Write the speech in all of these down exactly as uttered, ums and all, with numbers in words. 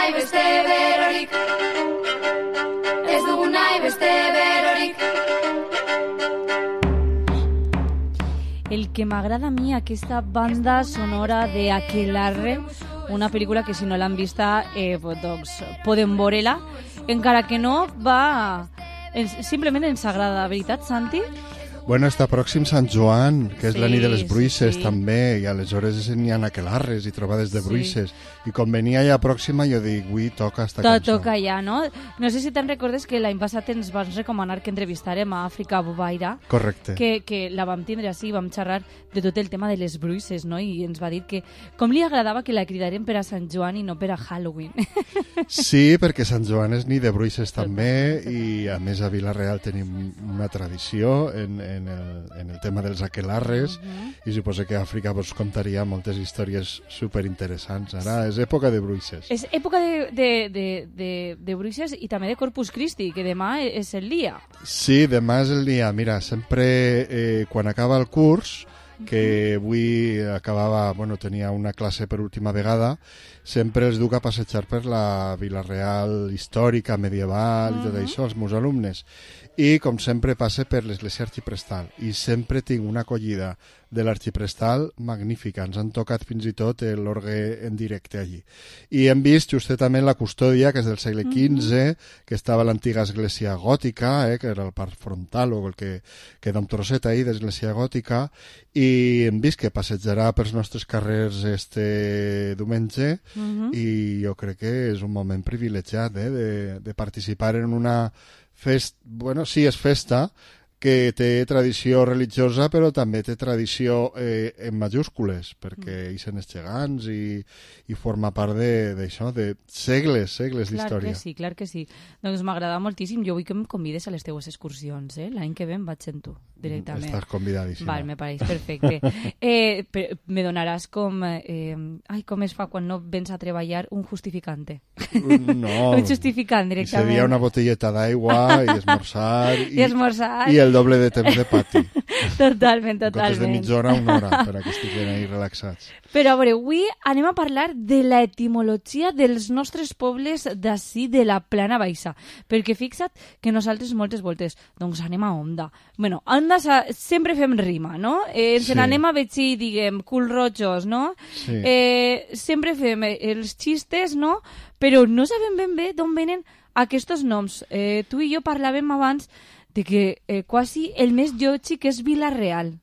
nahi beste berorik, ez dugu nahi beste berorik. El que m'agrada a mi, aquesta banda sonora de Aquelarre, una pel·lícula que si no l'han vista, eh, doncs poden veure-la, encara que no va... Simplement ens agrada, veritat, Santi? Bueno, està pròxim Sant Joan, que és Sí, la nit de les bruixes, sí. també, i aleshores n'hi ha aquelarres i trobades de Sí. bruixes. I com venia ja pròxima, jo dic, avui toca esta Tot cançó. toca ja, no? No sé si te'n recordes que l'any passat ens vas recomanar que entrevistarem a Àfrica Bobaira, Correcte. que, que la vam tindre així, vam xerrar de tot el tema de les bruixes, no? I ens va dir que com li agradava que la cridarem per a Sant Joan i no per a Halloween. Sí, perquè Sant Joan és nit de bruixes també, i a més a Vila-real tenim una tradició en, en, el, en el tema dels aquelarres, i suposo que a Àfrica vos contaria moltes històries superinteressants. Ara és època de bruixes. És època de, de, de, de, de bruixes i també de Corpus Christi, que demà és el dia. Sí, demà és el dia. Mira, sempre eh, quan acaba el curs, que avui acabava, bueno, tenia una classe per última vegada, sempre els duc a passejar per la Vila-real històrica, medieval, uh -huh. i tot això, els meus alumnes. I, com sempre, passe per l'església arxiprestal. I sempre tinc una acollida de l'arxiprestal magnífica. Ens han tocat fins i tot l'orgue en directe allí. I hem vist justament la custòdia, que és del segle quinze, que estava a l'antiga església gòtica, eh, que era el parc frontal, o el que queda un trosset ahí d'església gòtica, i hem vist que passejarà pels nostres carrers este diumenge, Uh-huh. i jo crec que és un moment privilegiat eh, de, de participar en una festa, bueno, sí, és festa, que té tradició religiosa, però també té tradició eh, en majúscules, perquè hi són els gegants i, i forma part d'això, de, de segles, segles Clar d'història. que sí, clar que sí. Doncs m'agrada moltíssim. Jo vull que em convides a les teues excursions, eh? L'any que ve em vaig amb tu, directament. Estàs convidadíssima. Val, me pareix perfecte. eh, per, me donaràs com... Eh, ai, com es fa quan no vens a treballar un justificante? No. Un justificant, I directament. seria una botelleta d'aigua i esmorzar I esmorzar. i el doble de temps de pati. Totalment, En comptes de totalment. mitja hora, una hora, per a que estiguin ahí relaxats. Però a veure, avui anem a parlar de l'etimologia dels nostres pobles d'ací de la Plana Baixa, perquè fixa't que nosaltres moltes voltes, doncs anem a Onda. Bueno, a Onda sa- sempre fem rima, no? Eh, ens Sí. n'anem a Betxí, diguem, culrojos, no? Sí. Eh, sempre fem eh, els xistes, no? Però no sabem ben bé d'on venen aquests noms. Eh, tu i jo parlàvem abans de que eh, quasi el més llotxic és Vila-real.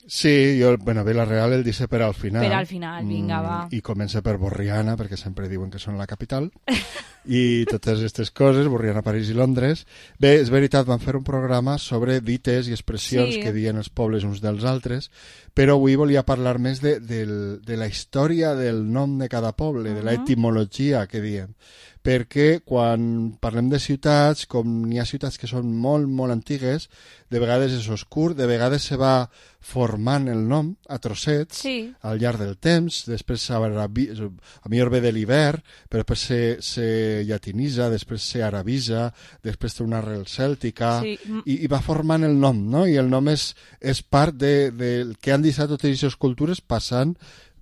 Sí, jo, bueno, Vila-real el dice per al final. Per al final, vinga, va. I comença per Borriana, perquè sempre diuen que són la capital. I totes aquestes coses, Borriana, París i Londres. Bé, és veritat, vam fer un programa sobre dites i expressions Sí. que diuen els pobles uns dels altres, però avui volia parlar més de, de, de la història del nom de cada poble, de l'etimologia que diem. Perquè quan parlem de ciutats, com n'hi ha ciutats que són molt, molt antigues, de vegades és oscur, de vegades se va formant el nom a trossets Sí. al llarg del temps, després s'arabi- a millor ve de l'hivern, però després se, se llatinitza, després se arabitza, després té una arrel cèltica, Sí. i, i va formant el nom, no? I el nom és, és part de, de que han deixat totes aquestes cultures passant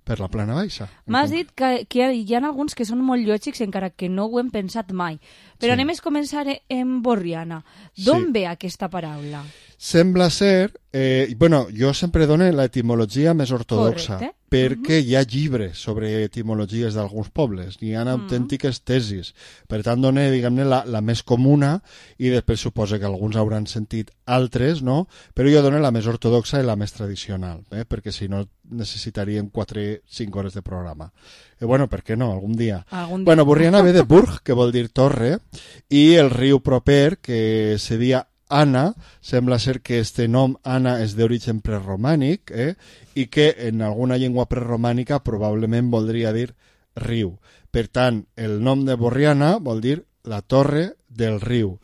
per la Plana Baixa. M'has dit que, que hi ha alguns que són molt lògics encara que no ho hem pensat mai. Però Sí. anem a començar en Borriana. D'on Sí. ve aquesta paraula? Sembla ser... Eh, bueno, jo sempre dono l'etimologia més ortodoxa, Correcte. perquè hi ha llibres sobre etimologies d'alguns pobles, hi ha autèntiques tesis. Per tant, dono, diguem-ne, la, la més comuna, i després suposo que alguns hauran sentit altres, no? Però jo dono la més ortodoxa i la més tradicional, eh? Perquè si no necessitaríem quatre cinc hores de programa. Eh, bueno, per què no? Algun dia. Algun dia. Bueno, Borriana ve de Burg, que vol dir torre, i el riu proper, que se dia Anna, sembla ser que este nom Anna és d'origen preromànic, eh? I que en alguna llengua preromànica probablement voldria dir riu. Per tant, el nom de Borriana vol dir la torre del riu.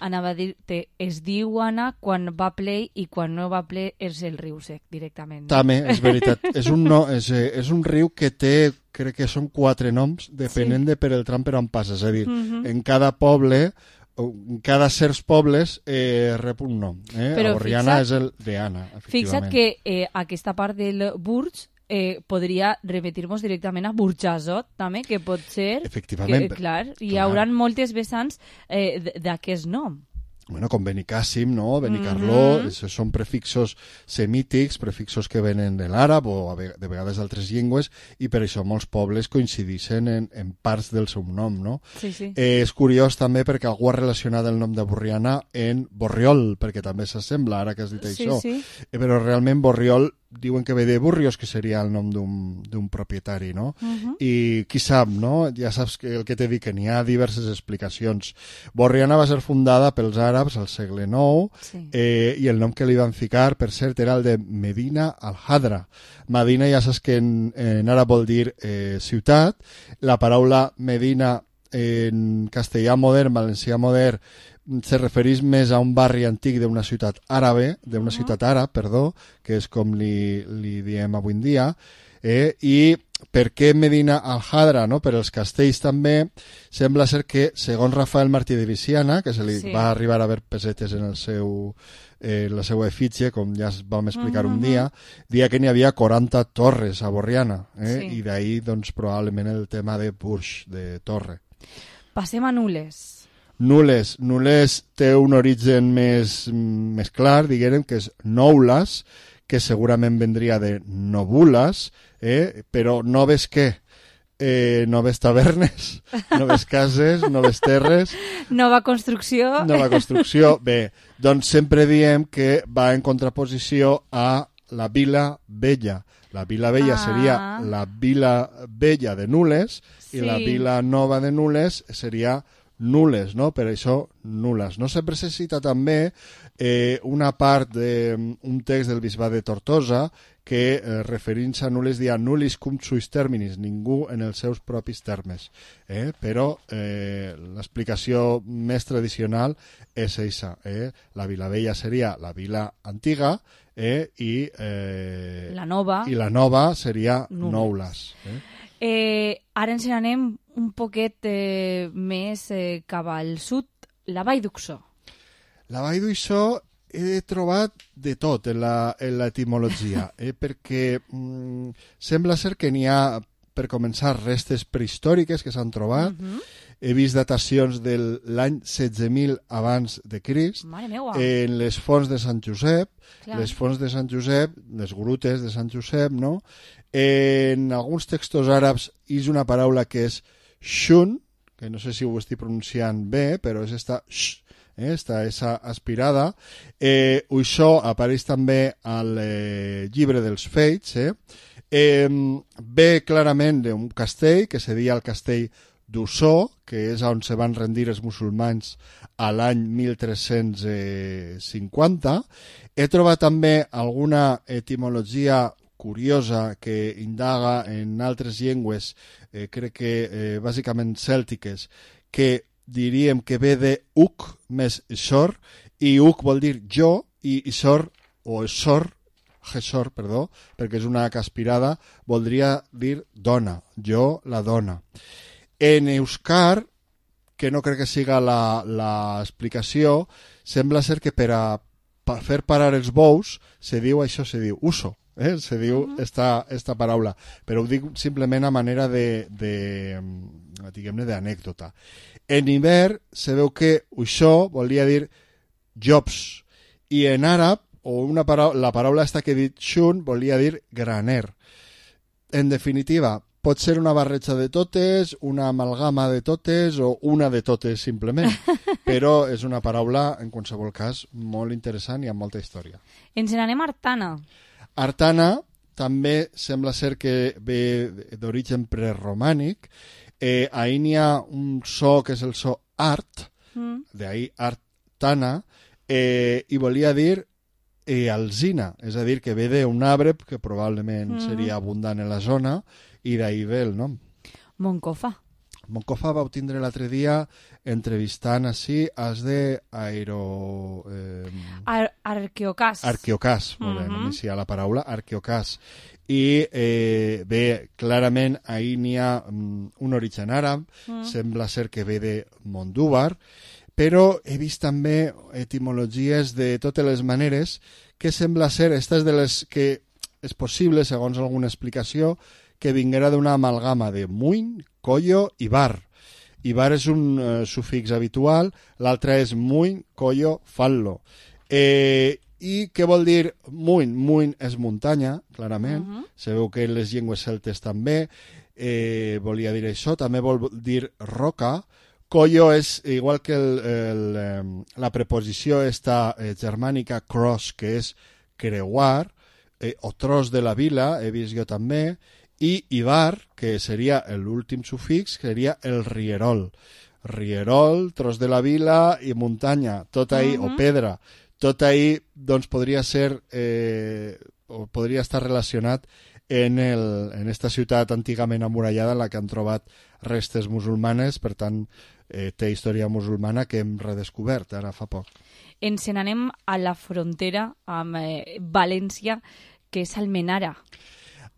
Anava a dir-te, es diu Anna quan va ple i quan no va ple és el riu sec, directament. No? També, és veritat. És un, no, és, eh, és un riu que té, crec que són quatre noms, depenent Sí. de per el tram per on passa. És a dir, Mhm. en cada poble, o en cada certs pobles, eh, rep un nom. Eh? Però Borriana fixa't- és el d'Anna, efectivament. Fixa't que eh, aquesta part del Burg eh, podria repetir-nos directament a Burjassot, també, que pot ser... Efectivament. Que, clar, hi clar. haurà moltes vessants eh, d'aquest nom. Bueno, com Benicàssim, no? Benicarló, mm-hmm. són prefixos semítics, prefixos que venen de l'àrab o de vegades d'altres llengües, i per això molts pobles coincideixen en, en parts del seu nom, no? Sí, sí. Eh, és curiós també perquè algú ha relacionat el nom de Borriana en Borriol, perquè també s'assembla, ara que has dit sí, això. Sí. Eh, però realment Borriol diuen que ve de Burrios, que seria el nom d'un propietari, no? Uh-huh. I qui sap, no? Ja saps que el que t'he dit, que n'hi ha diverses explicacions. Borriana va ser fundada pels àrabs al segle nou, sí. eh, i el nom que li van ficar, per cert, era el de Medina al-Hadra. Medina ja saps que en, en àrab vol dir eh, ciutat. La paraula Medina en castellà modern, valencià modern, se refereix més a un barri antic d'una ciutat àrabe, d'una uh-huh. ciutat àrab, perdó, que és com li, li diem avui en dia, eh? I per què Medina al-Hadra, no? Per els castells també, sembla ser que, segons Rafael Martí de Viciana, que se li sí. va arribar a haver pesetes en el seu... Eh, la seva efígie, com ja vam explicar uh-huh. un dia, dia que n'hi havia quaranta torres a Borriana, eh? Sí. I d'ahir, doncs, probablement el tema de Burj, de torre. Passem a Nules. Nules. Nules té un origen més, més clar, diguem, que és Noules, que segurament vendria de Nobules, eh? Però no ves què? Eh, noves tavernes, noves cases, noves terres... Nova construcció. Nova construcció. Bé, doncs sempre diem que va en contraposició a la Vila Vella. La Vila Vella ah. seria la Vila Vella de Nules sí. i la Vila Nova de Nules seria Nules, no? Per això Nules. No sempre se cita també eh, una part d'un text del bisbat de Tortosa que eh, referint-se a Nules dia Nullis cum suis terminis, ningú en els seus propis termes. Eh? Però eh, l'explicació més tradicional és eixa. Eh? La Vila Vella seria la vila antiga eh? I, eh, la nova. I la nova seria Noules. Eh? Eh, ara ens n'anem un poquet eh, més eh, cap al sud, la Vall d'Uxó. La Vall d'Uxó he trobat de tot en l'etimologia, eh, perquè mm, sembla ser que n'hi ha, per començar, restes prehistòriques que s'han trobat. Uh-huh. He vist datacions de l'any setze mil abans de Crist en les fonts de Sant Josep, Clar. les fonts de Sant Josep, les grutes de Sant Josep, no? En alguns textos àrabs hi és una paraula que és shun, que no sé si ho estic pronunciant bé, però és esta sh, eh, esta esa aspirada. Eh, això apareix també al eh, llibre dels Feits. Eh? Eh, ve clarament d'un castell que se deia el castell d'Ussó, que és on se van rendir els musulmans a l'any mil tres-cents cinquanta. He trobat també alguna etimologia curiosa que indaga en altres llengües, eh, crec que eh, bàsicament cèltiques, que diríem que ve de uc més sor, i uc vol dir jo, i sor, o sor, gesor, perdó, perquè és una caspirada, voldria dir dona, jo, la dona. En euskar, que no crec que siga l'explicació, sembla ser que per a pa, fer parar els bous se diu això, se diu uso. Eh? Se diu uh-huh. esta, esta paraula, però ho dic simplement a manera de, de diguem-ne, d'anècdota. En hivern se veu que això volia dir jobs, i en àrab, o una paraula, la paraula esta que he dit shun, volia dir graner. En definitiva, pot ser una barreja de totes, una amalgama de totes, o una de totes simplement, però és una paraula, en qualsevol cas, molt interessant i amb molta història. Ens n'anem a Artana. Artana també sembla ser que ve d'origen preromànic. Eh, ahí n'hi ha un so que és el so art, mm. d'ahí Artana, eh, i volia dir eh, alzina, és a dir, que ve d'un arbre que probablement mm. seria abundant en la zona, i d'ahí ve el nom. Moncofa. Moncofa va tindre l'altre dia entrevistant així els de Aero... Eh, Ar Arqueocàs. Arqueocàs, molt bé, uh-huh. no m'hi la paraula, Arqueocàs. I eh, bé, clarament ahir n'hi ha um, un origen àrab, uh-huh. sembla ser que ve de Mondúbar, però he vist també etimologies de totes les maneres que sembla ser, estas de les que és possible, segons alguna explicació, que vinguera d'una amalgama de muin, collo i bar. I bar és un eh, sufix habitual, l'altre és muin, collo, fallo. Eh, I què vol dir muin? Muin és muntanya, clarament. Uh -huh. Sabeu que en les llengües celtes també eh, volia dir això. També vol dir roca. Collo és, igual que el, el, eh, la preposició esta eh, germànica cross, que és creuar, eh, o tros de la vila, he vist jo també, i ibar, que seria l'últim sufix, seria el rierol. Rierol, tros de la vila i muntanya, tot ahí, uh -huh. o pedra. Tot ahí, doncs, podria ser, eh, o podria estar relacionat en, el, en esta ciutat antigament amurallada en la que han trobat restes musulmanes, per tant, eh, té història musulmana que hem redescobert ara fa poc. Ens n'anem a la frontera amb eh, València, que és Almenara.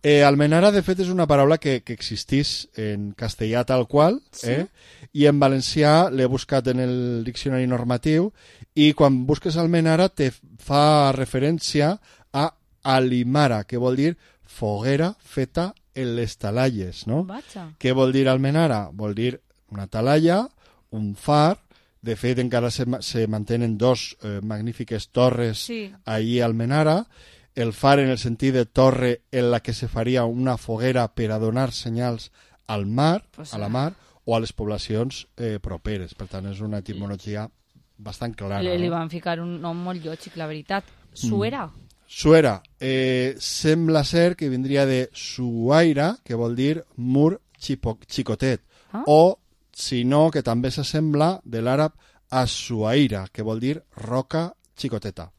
Eh, Almenara, de fet, és una paraula que, que existís en castellà tal qual, sí. eh? I en valencià l'he buscat en el diccionari normatiu, i quan busques Almenara te fa referència a alimara, que vol dir foguera feta en les talalles, no? Vaja. Què vol dir Almenara? Vol dir una talalla, un far. De fet, encara se, se mantenen dos eh, magnífiques torres sí. allí a Almenara. El far en el sentit de torre en la que se faria una foguera per a donar senyals al mar, pues, a la mar, o a les poblacions eh, properes. Per tant, és una etimologia bastant clara. Li, li no? van ficar un nom molt lògic, la veritat. Suera. Mm. Suera. Eh, sembla ser que vindria de suaira, que vol dir mur xipo, xicotet. Ah? O, si no, que també s'assembla de l'àrab asuaira, que vol dir roca xicoteta.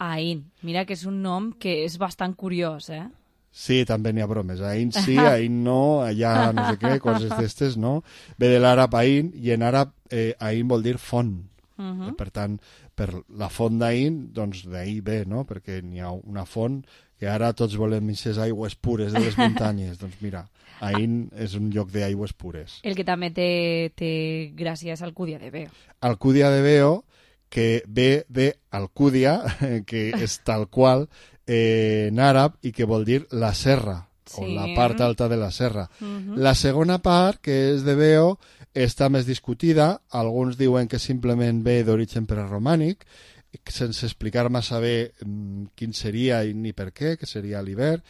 Ain. Mira que és un nom que és bastant curiós, eh? Sí, també n'hi ha bromes. Ain sí, Ain no, allà no sé què, coses d'estes, no? Ve de l'àrab Ain, i en àrab eh, Ain vol dir font. Uh -huh. eh, per tant, per la font d'Ain, doncs d'ahir ve, no? Perquè n'hi ha una font que ara tots volem aquestes aigües pures de les muntanyes. Doncs mira, Ain és un lloc d'aigües pures. El que també té, té gràcia és Alcúdia de Veo. Alcúdia de Veo, que ve de Alcúdia, que és tal qual eh, en àrab, i que vol dir la serra, sí. o la part alta de la serra. Uh-huh. La segona part, que és de Veo, està més discutida. Alguns diuen que simplement ve d'origen preromànic, sense explicar massa bé mm, quin seria i ni per què, que seria l'hivern,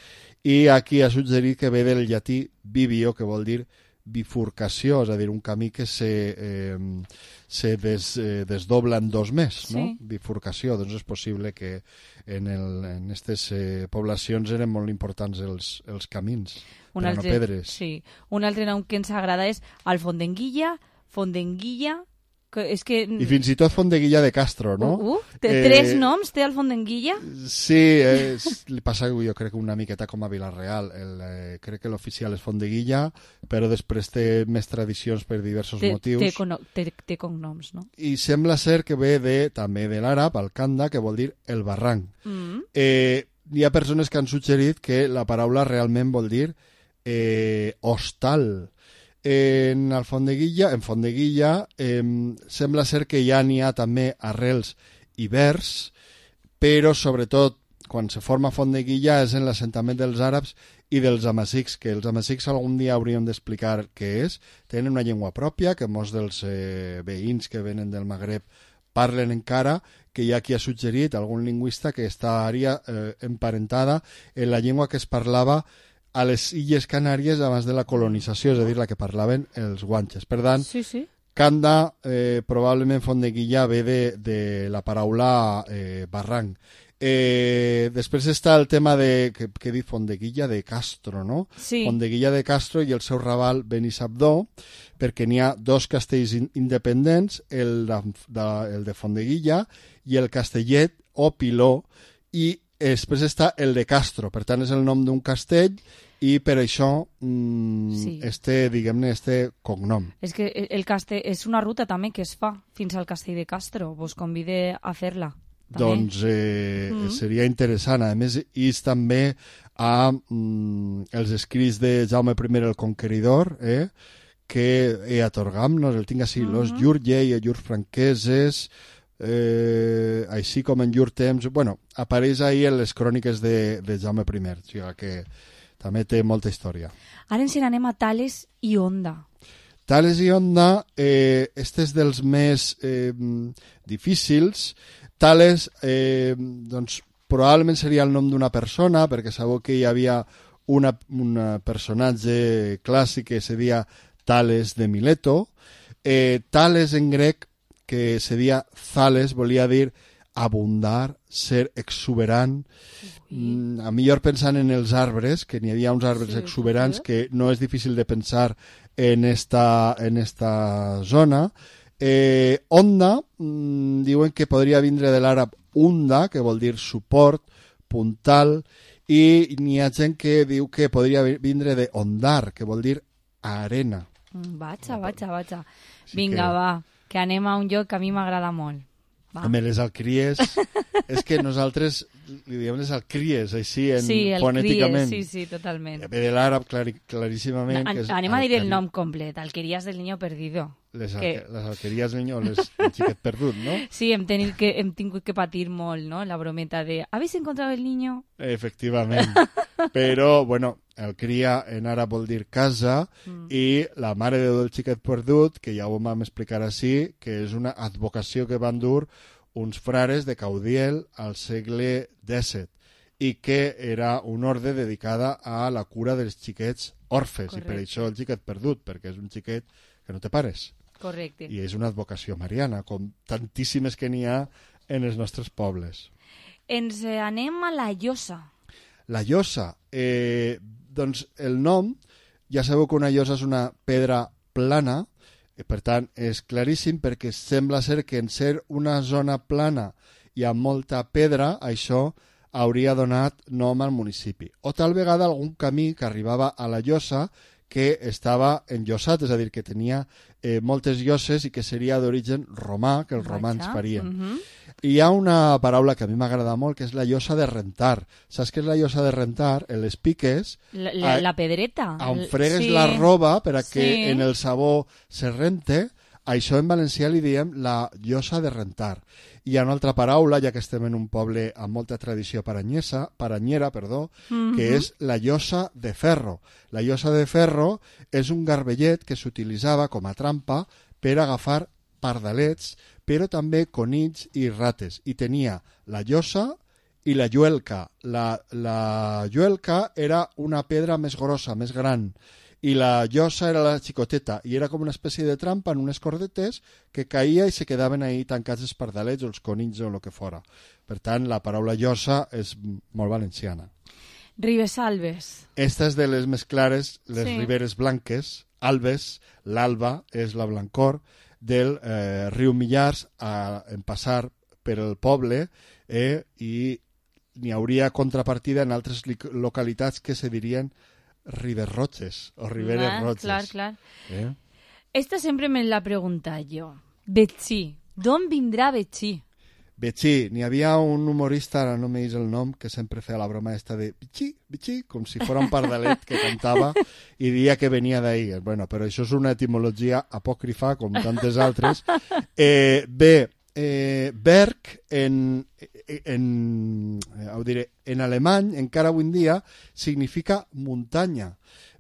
i aquí ha suggerit que ve del llatí bivio, que vol dir bifurcació, és a dir, un camí que se, eh, se des, eh, desdobla en dos més, sí. no? Bifurcació. Doncs és possible que en, el, en aquestes eh, poblacions eren molt importants els, els camins, un però altre, no pedres. Sí. Un altre nom que ens agrada és el Fondenguilla, Fondenguilla, que és que... I fins i tot Fondeguilla de Castro, no? Uh, uh, té, eh, tres noms té el Fondenguilla? Sí, eh, li passa jo crec una miqueta com a Vilareal. El, eh, crec que l'oficial és Fondeguilla, però després té més tradicions per diversos té, motius. Té, cono, té, té cognoms, no? I sembla ser que ve de, també de l'àrab, al-Kanda, que vol dir el barranc. Mm. Eh, hi ha persones que han suggerit que la paraula realment vol dir eh, hostal. En el Fondeguilla, en Fondeguilla eh, sembla ser que ja n'hi ha també arrels i vers, però sobretot quan se forma Fondeguilla és en l'assentament dels àrabs i dels amazics, que els amazics algun dia hauríem d'explicar què és. Tenen una llengua pròpia, que molts dels eh, veïns que venen del Magreb parlen encara, que hi ha qui ha suggerit, algun lingüista, que estaria eh, emparentada en la llengua que es parlava a les Illes Canàries abans de la colonització, és a dir, la que parlaven els guanxes. Per tant, sí, sí. Kanda, eh, probablement Fondeguilla ve de, de la paraula eh, barranc. Eh, després està el tema de, que, que diu Fondeguilla de Castro, no? Sí. Fondeguilla de Castro i el seu raval Benissabdó, perquè n'hi ha dos castells in, independents, el de, de, el de Fondeguilla i el Castellet o Piló, i després està el de Castro, per tant és el nom d'un castell, i per això mmm, sí. este, diguem-ne, este cognom. És que el castell és una ruta també que es fa fins al castell de Castro, vos convide a fer-la. També. Doncs eh, mm. seria interessant. A més, és també a mm, els escrits de Jaume I el Conqueridor, eh, que he atorgam, no el tinc així, mm -hmm. los llurs llei, llurs franqueses, eh, així com en llur temps, bueno, apareix ahir en les cròniques de, de Jaume I, o sigui que també té molta història. Ara ens n'anem a Tales i Onda. Tales i Onda, eh, este és dels més eh, difícils. Tales, eh, doncs, probablement seria el nom d'una persona, perquè sabeu que hi havia una, un personatge clàssic que se deia Tales de Mileto. Eh, Tales en grec, que se deia Thales, volia dir abundar, ser exuberant. Mm, a millor pensant en els arbres, que n'hi havia uns arbres sí, exuberants, sí. Que no és difícil de pensar en esta, en esta zona. Eh, onda, mmm, diuen que podria vindre de l'àrab unda, que vol dir suport, puntal, i n'hi ha gent que diu que podria vindre de ondar, que vol dir arena. Vaja, vaja, vaja. Vinga, que... va, que anem a un lloc que a mi m'agrada molt. Va. Home, les alcries, és que nosaltres li diem les alcries, així, en, sí, el fonèticament. Cries, sí, sí, totalment. Ve de l'àrab clar, claríssimament. No, que és anem a dir alquerí. el nom complet, Alquerías del Niño Perdido. Les, que... alque, les alqueries del niño, les, el xiquet perdut, no? Sí, hem, tenit que, hem tingut que patir molt, no?, la brometa de ¿habéis encontrado el niño? Efectivament. Però, bueno, el cria en àrab vol dir casa mm. i la mare de del xiquet perdut, que ja ho vam explicar així, que és una advocació que van dur uns frares de Caudiel al segle dèsset i que era una ordre dedicada a la cura dels xiquets orfes. Correcte. I per això el xiquet perdut, perquè és un xiquet que no té pares. Correcte. I és una advocació mariana, com tantíssimes que n'hi ha en els nostres pobles. Ens anem a la Llosa. La Llosa, eh, doncs el nom, ja sabeu que una llosa és una pedra plana, i per tant és claríssim perquè sembla ser que en ser una zona plana i amb molta pedra, això hauria donat nom al municipi. O tal vegada algun camí que arribava a la Llosa que estava enllosat, és a dir, que tenia eh, moltes lloses i que seria d'origen romà, que els romans farien. Uh-huh. I hi ha una paraula que a mi m'agrada molt, que és la llosa de rentar. Saps què és la llosa de rentar? En les piques... La, la, la pedreta. On fregues sí. la roba per a que sí. en el sabó se rente, això en valencià li diem la llosa de rentar. Hi ha una altra paraula, ja que estem en un poble amb molta tradició paranyesa, paranyera, perdó, mm-hmm. que és la llosa de ferro. La llosa de ferro és un garbellet que s'utilitzava com a trampa per agafar pardalets, però també conills i rates. I tenia la llosa i la lluelca. La, la lluelca era una pedra més grossa, més gran, i la llosa era la xicoteta, i era com una espècie de trampa en unes cordetes que caïa i se quedaven ahí tancats els pardalets o els conills o el que fora. Per tant, la paraula llosa és molt valenciana. Ribes Albes. Esta és de les més clares, les sí. riberes blanques. Albes, l'alba, és la blancor del eh, riu Millars a, en passar per el poble eh, i n'hi hauria contrapartida en altres localitats que se dirien Ribes Roches o Riberes ah, Roches. Clar, clar. Eh? Esta sempre me la pregunta jo. Betxí. D'on vindrà Betxí? Betxí. N'hi havia un humorista, ara no m'he el nom, que sempre feia la broma esta de Betxí, Betxí, com si fos un pardalet que cantava i dia que venia d'ahir. Bueno, però això és una etimologia apòcrifa, com tantes altres. Eh, bé, eh, Berg en, en, eh, diré, en alemany, encara avui en dia, significa muntanya,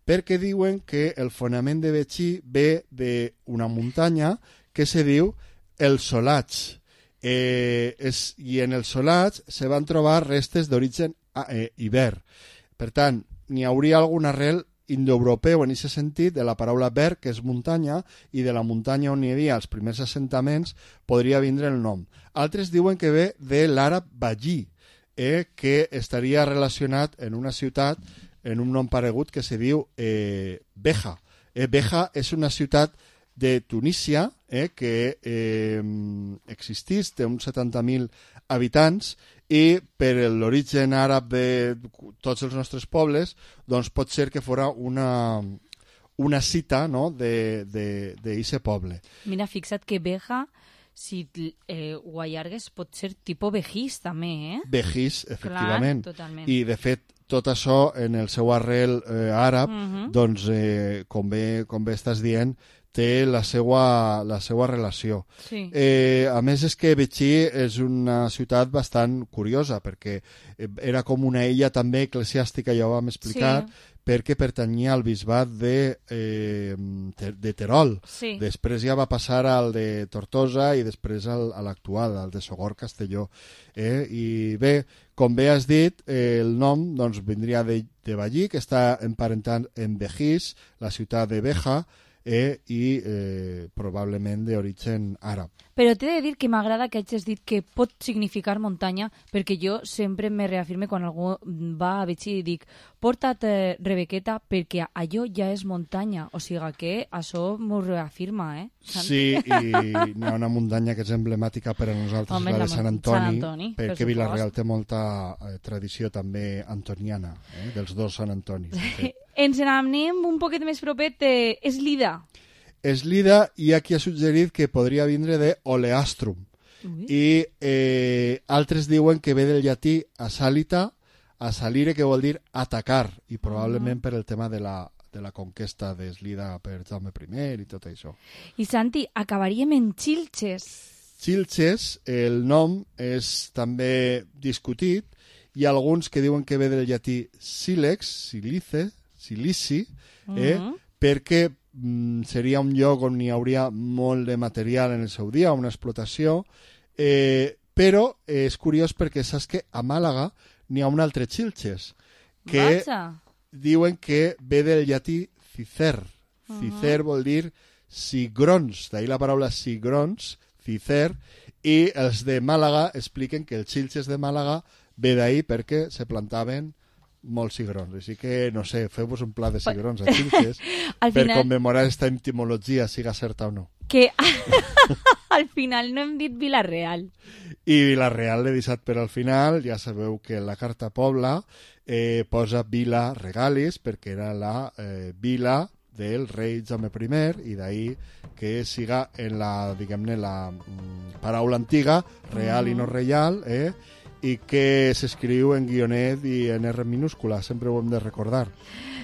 perquè diuen que el fonament de Betxí ve d'una muntanya que se diu el Solatx. Eh, és, I en el Solatx se van trobar restes d'origen eh, iber. Per tant, n'hi hauria algun arrel indoeuropeu en aquest sentit de la paraula berg, que és muntanya, i de la muntanya on hi havia els primers assentaments podria vindre el nom. Altres diuen que ve de l'àrab Ballí, eh, que estaria relacionat en una ciutat en un nom paregut que se diu eh, Beja. Eh, Beja és una ciutat de Tunísia eh, que eh, existís, té uns setanta mil habitants, i per l'origen àrab de tots els nostres pobles, doncs pot ser que fora una, una cita, no?, d'aquest poble. Mira, fixa't que Beja, si eh, ho allargues, pot ser tipus Begís, també, eh? Begís, efectivament. Clar, totalment. I, de fet, tot això, en el seu arrel eh, àrab, uh-huh. doncs, eh, com, bé, com bé estàs dient, té la seva, la seva relació. Sí. Eh, a més, és que Betxí és una ciutat bastant curiosa, perquè era com una illa també eclesiàstica, ja ho vam explicar, sí. perquè pertanyia al bisbat de, eh, de Terol. Sí. Després ja va passar al de Tortosa i després al, a l'actual, al de Sogorb-Castelló. Eh? I bé, com bé has dit, eh, el nom doncs, vindria de, de Vallí, que està emparentat amb Begís, la ciutat de Beja, eh, i eh, probablement d'origen àrab. Però t'he de dir que m'agrada que hagis dit que pot significar muntanya, perquè jo sempre me reafirme quan algú va a Betxí i dic porta't eh, Rebequeta perquè allò ja és muntanya, o sigui que això m'ho reafirma, eh? Sant? Sí, i hi ha una muntanya que és emblemàtica per a nosaltres, Home, la de la Sant Antoni, Sant Antoni, per perquè Vila-real té molta eh, tradició també antoniana, eh, dels dos Sant Antonis. Ens n'anem un poquet més propet, eh, és Lida. És Lida, i aquí ha suggerit que podria vindre de Oleastrum. Ui. I eh, altres diuen que ve del llatí asalita, asalire, que vol dir atacar, i probablement uh-huh. per el tema de la, de la conquesta d'Eslida per Jaume primer i tot això. I Santi, acabaríem en Xilxes. Xilxes, el nom és també discutit. Hi ha alguns que diuen que ve del llatí sílex, silice, silici, eh, uh-huh. perquè mm, seria un lloc on hi hauria molt de material en el seu dia, una explotació, eh, però eh, és curiós perquè saps que a Màlaga n'hi ha un altre Xilxes, que Vaja. diuen que ve del llatí cicer. Uh-huh. Cicer vol dir cigrons, d'ahir la paraula cigrons, cicer, i els de Màlaga expliquen que el Xilxes de Màlaga ve d'ahir perquè se plantaven molts cigrons. Així que, no sé, feu-vos un pla de cigrons a Xilxes per final... commemorar aquesta etimologia, siga certa o no. Que al final no hem dit Vila-real. I Vila-real l'he deixat per al final. Ja sabeu que la Carta Pobla eh, posa Vila Regalis perquè era la eh, vila del rei Jaume primer, i d'ahir que siga en la, diguem-ne, la mm, paraula antiga, real mm. i no reial, eh? I que s'escriu en guionet i en R minúscula, sempre ho hem de recordar.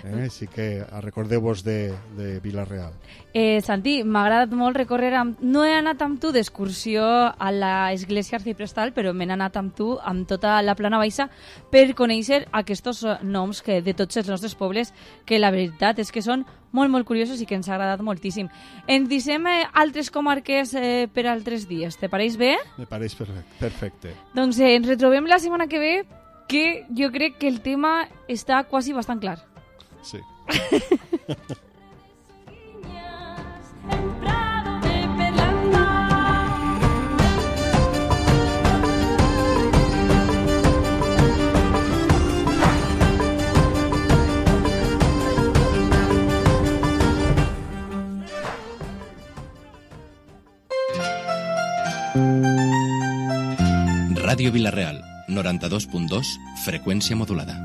Eh? Així que recordeu-vos de, de Vila-real. Eh, Santi, m'ha agradat molt recórrer amb... No he anat amb tu d'excursió a l'església arciprestal, però m'he anat amb tu amb tota la plana baixa per conèixer aquests noms que, de tots els nostres pobles, que la veritat és que són molt, molt curiosos i que ens ha agradat moltíssim. Ens deixem eh, altres comarques eh, per altres dies. Te pareix bé? Me pareix perfecte. perfecte. Doncs eh, ens retrobem la setmana que ve, que jo crec que el tema està quasi bastant clar. Sí. Ràdio Vila-real, noranta-dos punt dos, freqüència modulada.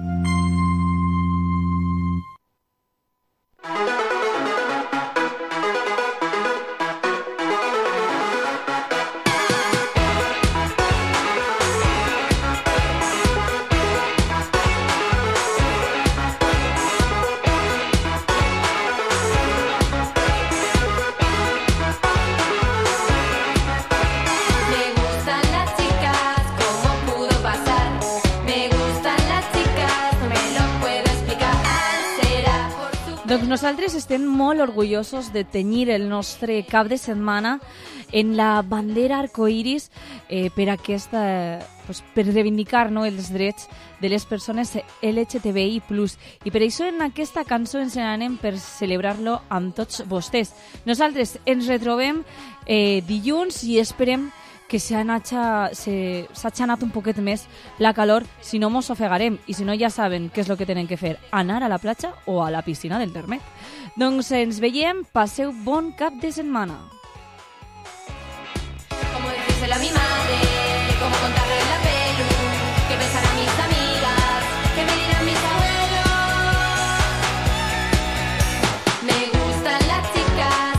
Doncs nosaltres estem molt orgullosos de tenyir el nostre cap de setmana en la bandera arcoiris eh, per aquesta, pues, per reivindicar, no, els drets de les persones L G T B I plus. I per això en aquesta cançó ens n'anem per celebrar-lo amb tots vostès. Nosaltres ens retrobem eh, dilluns i esperem que s'ha anat un poquet més la calor, si no mos ofegarem, i si no ja saben què és el que tenen que fer, anar a la platja o a la piscina del Termet. Doncs ens veiem, passeu bon cap de setmana.